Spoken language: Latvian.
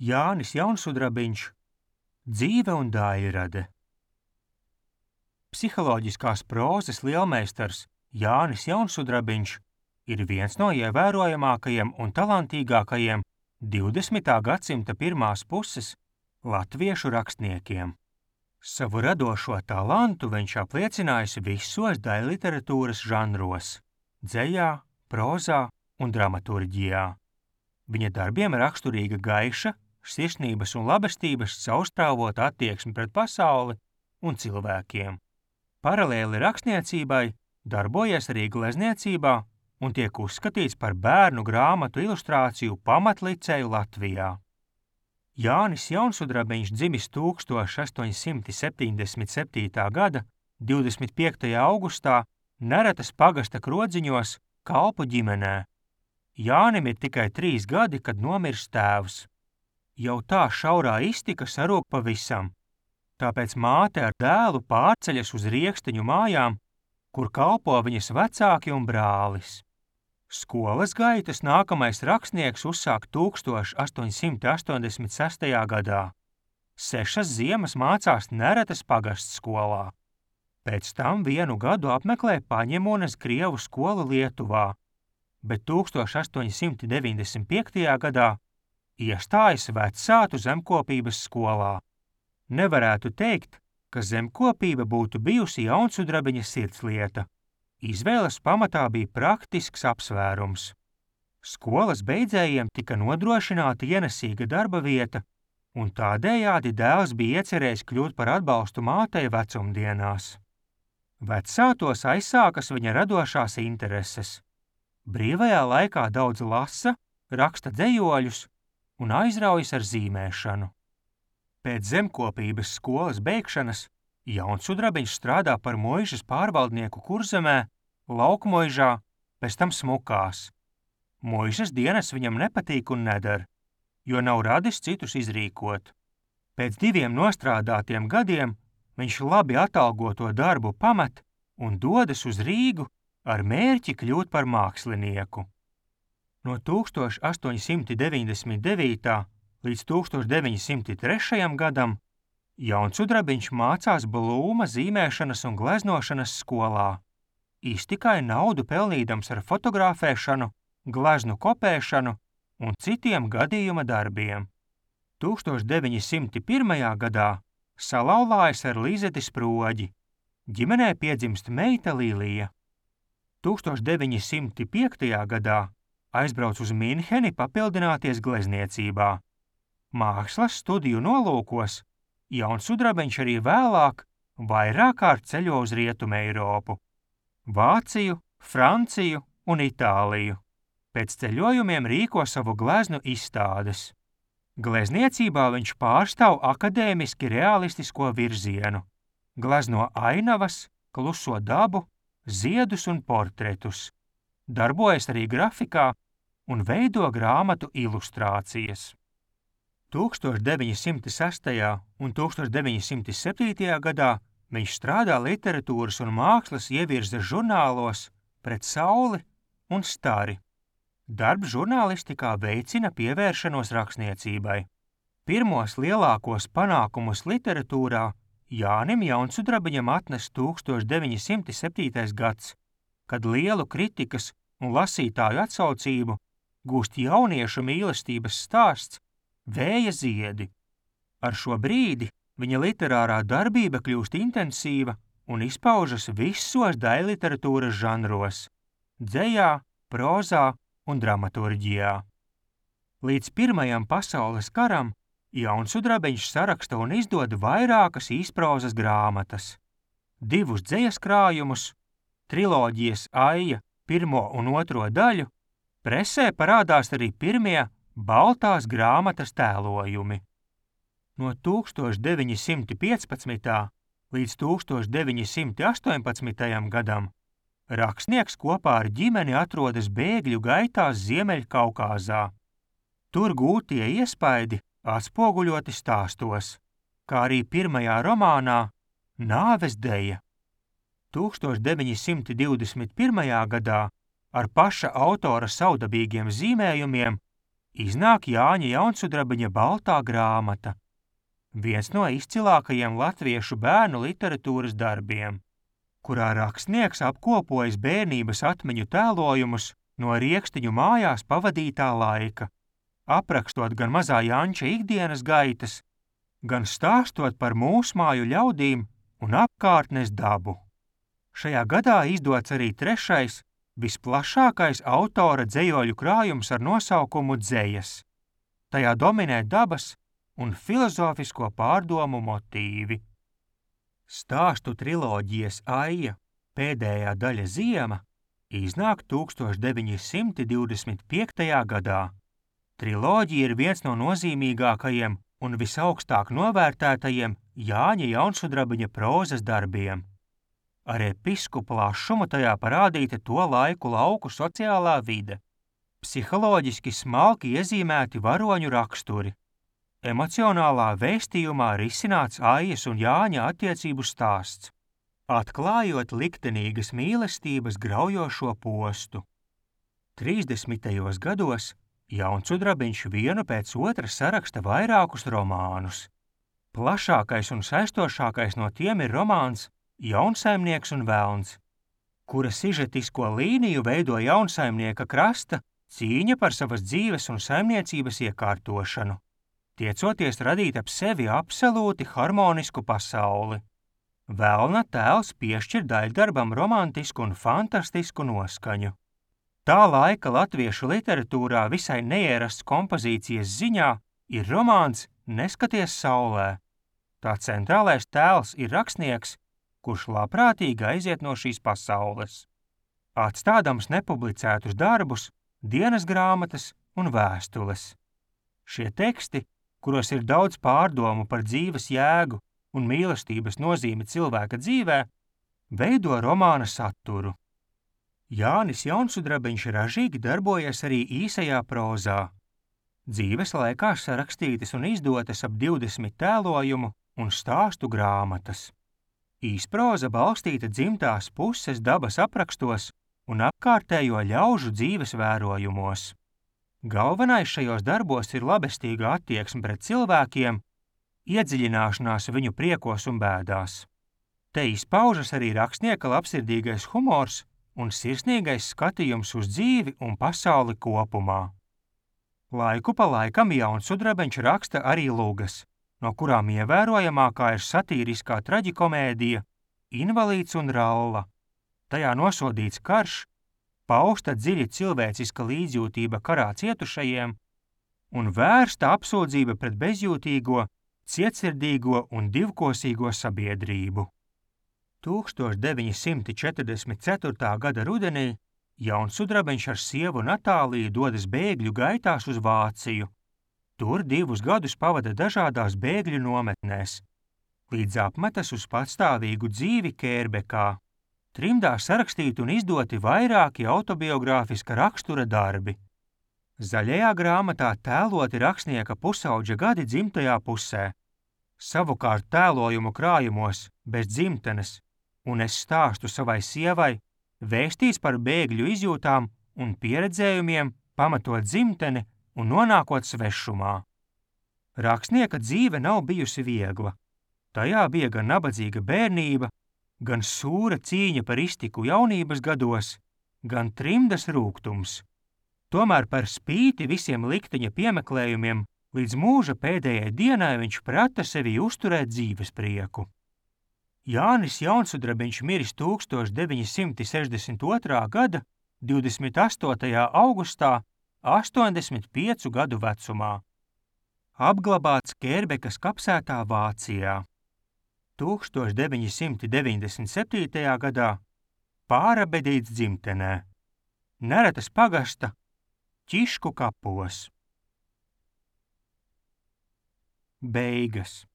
Jānis Jaunsudrabiņš, dzīve un daļrade. Psiholoģiskās prózas lielmeistars Jānis Jaunsudrabiņš ir viens no ievērojamākajiem un talantīgākajiem 20. gadsimta pirmās puses latviešu rakstniekiem. Savu radošo talantu viņš apliecinājis visos daļliteratūras žanros – dzejā, prózā un dramaturģijā. Viņa darbiem raksturīga gaiša, sirsnības un labestības caurstrāvota attieksme pret pasauli un cilvēkiem. Paralēli rakstniecībai darbojies arī glezniecībā un tiek uzskatīts par bērnu grāmatu ilustrāciju pamatliceju Latvijā. Jānis Jaunsudrabiņš dzimis 1877. gada 25. augustā Neretas pagasta Krodziņos kalpu ģimenē. Jānim ir tikai 3 gadi, kad nomirs tēvs. Jau tā šaurā iztika sarūk pavisam, tāpēc māte ar dēlu pārceļas uz Rieksteņu mājām, kur kalpo viņas vecāki un brālis. Skolas gaitas nākamais rakstnieks uzsāk 1886. gadā. 6 ziemas mācās Neretas pagasts skolā. Pēc tam 1 gadu apmeklē Paņemonas krievu skolu Lietuvā, bet 1895. gadā iestājas Vecātu zemkopības skolā. Nevarētu teikt, ka zemkopība būtu bijusi Jaunsudrabiņa sirdslieta. Izvēles pamatā bija praktisks apsvērums. Skolas beidzējiem tika nodrošināta ienesīga darba vieta, un tādējādi dēls bija iecerējis kļūt par atbalstu mātei vecumdienās. Vecātos aizsākas viņa radošās intereses. Brīvajā laikā daudz lasa, raksta dzejoļus un aizraujas ar zīmēšanu. Pēc zemkopības skolas beigšanas Jaunsudrabiņš strādā par muižas pārvaldnieku Kurzemē, Laukmuižā, pēc tam Smukās. Muižas dienas viņam nepatīk un neder, jo nav radis citus izrīkot. Pēc 2 nostrādātiem gadiem viņš labi atalgoto darbu pamet un dodas uz Rīgu ar mērķi kļūt par mākslinieku. No 1899. līdz 1903. gadam Jaunsudrabiņš mācās Blūma zīmēšanas un gleznošanas skolā. Iztikai naudu pelnīdams ar fotografēšanu, gleznu kopēšanu un citiem gadījuma darbiem. 1901. gadā salauzājas ar Lizeti Sproģi. Ģimenē piedzimst meita Lilija. 1905. gadā aizbrauc uz Minheni papildināties glezniecībā. Mākslas studiju nolūkos Jaunsudrabiņš arī vēlāk vairāk kārt ceļo uz Rietumu Eiropu – Vāciju, Franciju un Itāliju. Pēc ceļojumiem rīko savu gleznu izstādes. Glezniecībā viņš pārstāv akadēmiski realistisko virzienu. Glezno ainavas, kluso dabu, ziedus un portretus. Darbojas arī grafikā un veido grāmatu ilustrācijas. 1906. un 1907. gadā viņš strādā literatūras un mākslas ievirzes žurnālos Pret sauli un Stari. Darbs žurnālistikā veicina pievēršanos rakstniecībai. Pirmos lielākos panākumus literatūrā Jānim Jaunsudrabiņam atnes 1907. gads, kad lielu kritikas un lasītāju atsaucību gūst jauniešu mīlestības stāsts Vēja ziedi. Ar šo brīdi viņa literārā darbība kļūst intensīva un izpaužas visos daļliteratūras žanros – dzejā, prózā un dramaturģijā. Līdz Pirmajam pasaules karam Jaunsudrabiņš saraksta un izdod vairākas īsprozas grāmatas, 2 dzejas krājumus, triloģijas Aija 1. un 2. daļu, presē parādās arī pirmie baltās grāmatas tēlojumi. No 1915. līdz 1918. gadam rakstnieks kopā ar ģimeni atrodas bēgļu gaitās Ziemeļkaukāzā. Tur gūtie iespaidi atspoguļoti stāstos, kā arī pirmajā romānā Nāves deja. 1921. gadā ar paša autora saudabīgiem zīmējumiem Iznāk Jāņa Jaunsudrabiņa baltā grāmata, viens no izcilākajiem latviešu bērnu literatūras darbiem, kurā rakstnieks apkopojas bērnības atmiņu tēlojumus no Riekstiņu mājās pavadītā laika, aprakstot gan mazā Janča ikdienas gaitas, gan stāstot par mūsmāju ļaudīm un apkārtnes dabu. Šajā gadā izdots arī 3. visplašākais autora dzejoļu krājums ar nosaukumu Dzejas. Tajā dominē dabas un filozofisko pārdomu motīvi. Stāstu triloģijas Aija pēdējā daļa Ziema iznāk 1925. gadā. Triloģija ir viens no nozīmīgākajiem un visaugstāk novērtētajiem Jāņa Jaunsudrabiņa prozas darbiem. Ar episku plašumu tajā parādīta to laiku lauku sociālā vide, psiholoģiski smalki iezīmēti varoņu raksturi, emocionālā vēstījumā risināts Aijas un Jāņa attiecību stāsts, atklājot liktenīgas mīlestības graujošo postu. 30. gados Jaunsudrabiņš vienu pēc otra saraksta vairākus romānus. Plašākais un saistošākais no tiem ir romāns Jaunsaimnieks un velns, kura sižetisko līniju veido jaunsaimnieka krasta cīņa par savas dzīves un saimniecības iekārtošanu, tiecoties radīt ap sevi absolūti harmonisku pasauli. Velna tēls piešķir daļdarbam romantisku un fantastisku noskaņu. Tā laika latviešu literatūrā visai neierasts kompozīcijas ziņā ir romāns Neskaties saulē. Tā centrālais tēls ir rakstnieks, kurš labprātīgi aiziet no šīs pasaules, atstādams nepublicētus darbus, dienas grāmatas un vēstules. Šie teksti, kuros ir daudz pārdomu par dzīves jēgu un mīlestības nozīmi cilvēka dzīvē, veido romāna saturu. Jānis Jaunsudrabiņš ražīgi darbojas arī īsajā prozā. Dzīves laikā sarakstītas un izdotas ap 20 tēlojumu un stāstu grāmatas. Īsproza balstīta dzimtās puses dabas aprakstos un apkārtējo ļaužu dzīves vērojumos. Galvenais šajos darbos ir labestīga attieksme pret cilvēkiem, iedziļināšanās viņu priekos un bēdās. Te izpaužas arī rakstnieka labsirdīgais humors un sirsnīgais skatījums uz dzīvi un pasauli kopumā. Laiku pa laikam Jaunsudrabiņš raksta arī lugas, no kurām ievērojamākā ir satīriskā traģikomēdija Invalīds un Ralla. Tajā nosodīts karš, pausta dziļi cilvēciska līdzjūtība karā cietušajiem un vērsta apsūdzība pret bezjūtīgo, cietsirdīgo un divkosīgo sabiedrību. 1944. gada rudenī Jaunsudrabiņš ar sievu Natāliju dodas bēgļu gaitās uz Vāciju. Tur 2 gadus pavada dažādās bēgļu nometnēs, līdz apmetas uz patstāvīgu dzīvi Kērbekā. Trimdā sarakstīti un izdoti vairāki autobiogrāfiska rakstura darbi. Zaļajā grāmatā tēloti rakstnieka pusaudža gadi dzimtajā pusē. Savukārt tēlojumu krājumos Bez dzimtenes un Es stāstu savai sievai vēstīts par bēgļu izjūtām un pieredzējumiem, pamatot dzimteni un nonākot svešumā. Rakstnieka dzīve nav bijusi viegla. Tajā bija gan nabadzīga bērnība, gan sūra cīņa par iztiku jaunības gados, gan trimdas rūgtums. Tomēr par spīti visiem likteņa piemeklējumiem līdz mūža pēdējai dienai viņš prata sevi uzturēt dzīves prieku. Jānis Jaunsudrabiņš miris 1962. gada 28. augustā 85 gadu vecumā. Apglabāts Kērbekas kapsētā Vācijā. 1997. gadā pārabedīts dzimtenē. Neretas pagasta Ķišku kapos. Beigas.